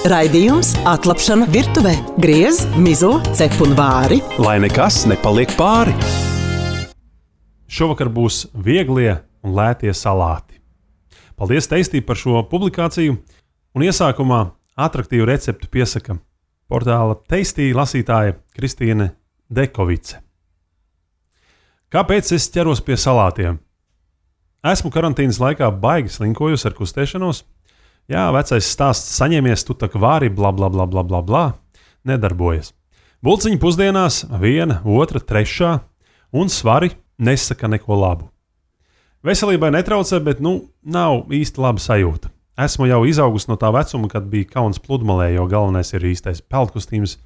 Raidījums Atlapšana virtuvē. Griez, mizo, cep un vāri. Lai nekas nepaliek pāri. Šovakar būs vieglie un lētie salāti. Paldies Teistī par šo publikāciju. Un iesākumā atraktīvu receptu piesaka portāla Teistī lasītāja Kristīne Dekovice. Kāpēc es ķeros pie salātiem? Esmu karantīnas laikā baigi slinkojusi ar kustēšanos. Jā, vecais stāsts saņemies, tu tak vāri, bla, bla, bla, bla, bla, bla, nedarbojas. Bulciņi pusdienās, 1, 2, 3, un svari nesaka neko labu. Veselībai netraucē, bet, nav īsti laba sajūta. Esmu jau izaugusi no tā vecuma, kad bija kauns pludmalē, jo galvenais ir īstais peldkostīms,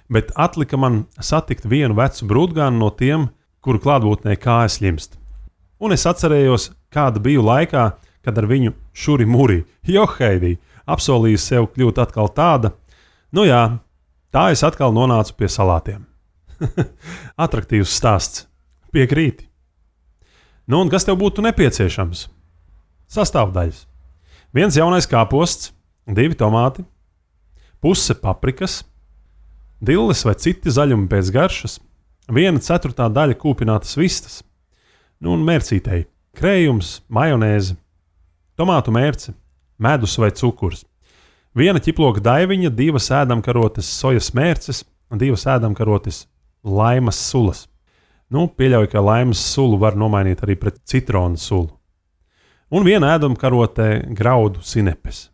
bet atlika man satikt vienu vecu brūtgānu no tiem, kuru klātbūtnē kājas ļimst. Un es atcerējos, kāda biju laikā, kad ar viņu šuri muri, joheidī, apsolīju sev kļūt atkal tāda. Tā es atkal nonācu pie salātiem. Atraktīvs stāsts. Piekrīti. Un kas tev būtu nepieciešams? Sastāvdaļas. 1 jaunais kāposts, 2 tomāti, puse paprikas, dilles vai citi zaļumi pēc garšas, 1/4 daļa kūpinātas vistas, un mērcītei, krējums, majonēze, tomātu mērce, medus vai cukurs, 1 ķiploka daiviņa, 2 ēdamkarotes sojas mērces, 2 ēdamkarotes laimas sulas. Pieļauju, ka laimas sulu var nomainīt arī pret citronu sulu. Un 1 ēdamkarote graudu sinepes.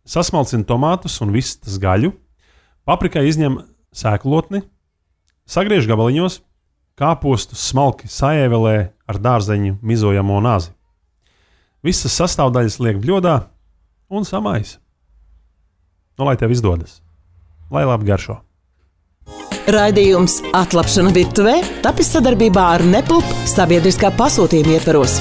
Sasmalcina tomātus un vistas gaļu, paprikai izņem sēklotni, sagriež gabaliņos, kāpostus smalki saēvelē ar dārzeņu mizojamo nazi. Visas sastāvdaļas liek bļodā un samaisa. Lai tev izdodas. Lai labi garšo. Raidījums Atlapšana virtuvē tapis sadarbībā ar Nepulp sabiedriskā pasūtījuma ietvaros.